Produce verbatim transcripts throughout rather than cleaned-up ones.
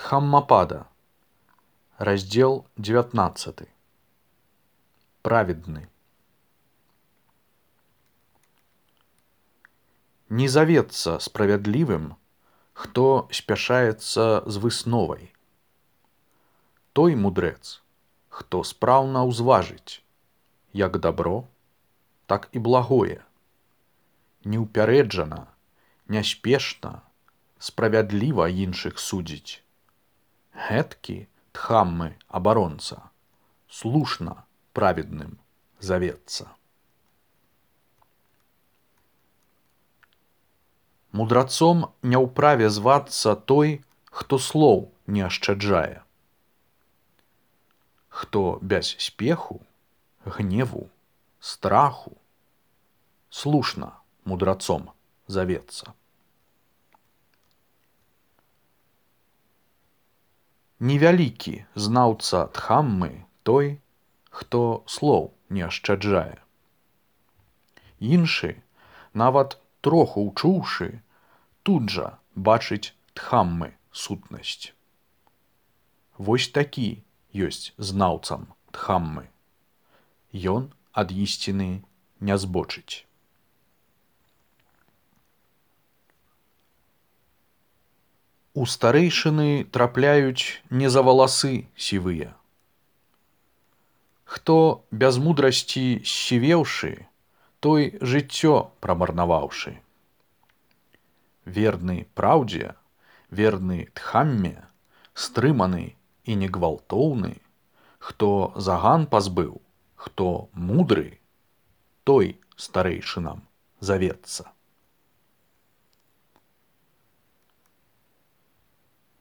Дхаммапада, раздел девятнадцатый. Праведный. Не завецца справядлівым, хто спяшаецца з высновай. Той мудрэц, хто спраўна ўзважыць, як дабро, так і благое, неўпярэджана, няспешна, справядліва іншых судзіць. Гэткі Дхаммы абаронца слушна праведным завецца. Мудрацом не ўправе звацца той, хто слоў не ашчаджае, хто без спеху, гневу, страху слушна мудрацом завецца. Невялікі знаўца Дхаммы той, хто слоў не ашчаджае. Іншы, нават троху ўчуўшы, тут жа бачыць Дхаммы сутнасць. Вось такі ёсць знаўцам Дхаммы. Ён ад ісціны не збочыць. У старэйшыны трапляюць не за валасы сівыя. Хто без мудрасці сівеўшы, той жыццё прамарнаваўшы. Верны праўдзе, верны Дхамме, стрыманы і негвалтоўны, хто заган пазбыў, хто мудры, той старэйшынам завецца.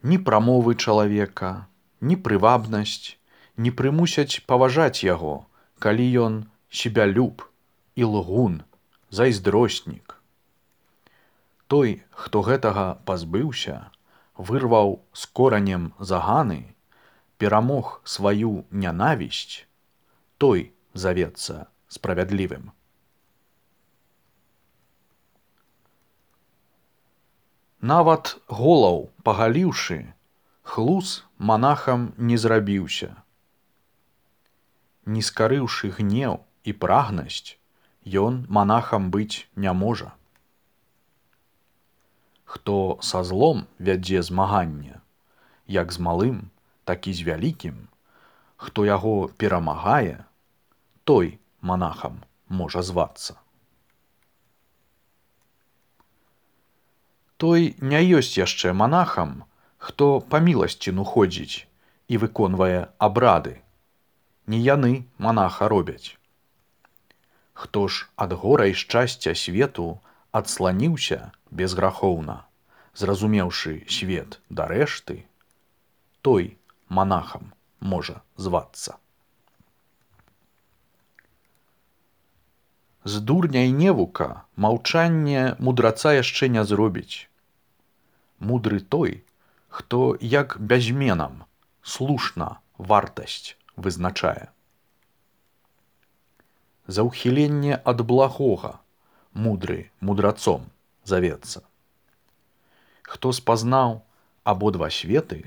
Ні прамовы чалавека, ні прывабнасць не прымусяць паважаць яго, калі ён себялюб, ілгун, зайздроснік. Той, хто гэтага пазбыўся, вырваў з коранем заганы, перамог сваю нянавісць, той завецца справядлівым. Нават голаў пагаліўшы, хлус манахам не зрабіўся. Не скарыўшы гнеў і прагнасць, ён манахам быць не можа. Хто са злом вядзе змаганне, як з малым, так і з вялікім, хто яго перамагае, той манахам можа звацца. Той не ёсць яшчэ манахам, хто па міласціну ходзіць і выконвае абрады. Не яны манаха робяць. Хто ж ад гора і шчасця свету адсланіўся безграхоўна, зразумеўшы свет да рэшты, той манахам можа звацца. З дурня і невука маўчанне мудраца яшчэ не зробіць. Мудры той, хто як бязменам слушна вартасць вызначае. За ўхіленне ад благога мудры мудрацом завецца. Хто спазнаў абодва светы,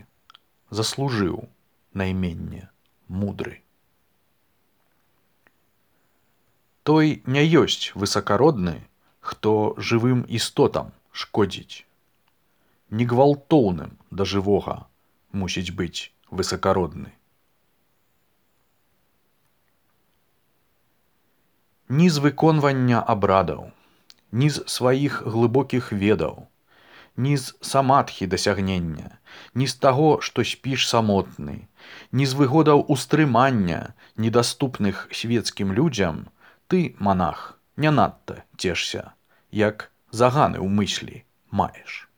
заслужыў найменне мудры. Той не ёсць высакародны, хто жывым істотам шкодзіць. Негвалтоўным да жывога мусіць быць высакародны. Ні з выконвання абрадаў, ні з сваіх глыбокіх ведаў, ні з самадхі дасягнення, ні з таго, што спіш самотны, ні з выгодаў устрымання, недаступных свецкім людзям, ты, манах, не надта цешся, як заганы ў мыслі маеш.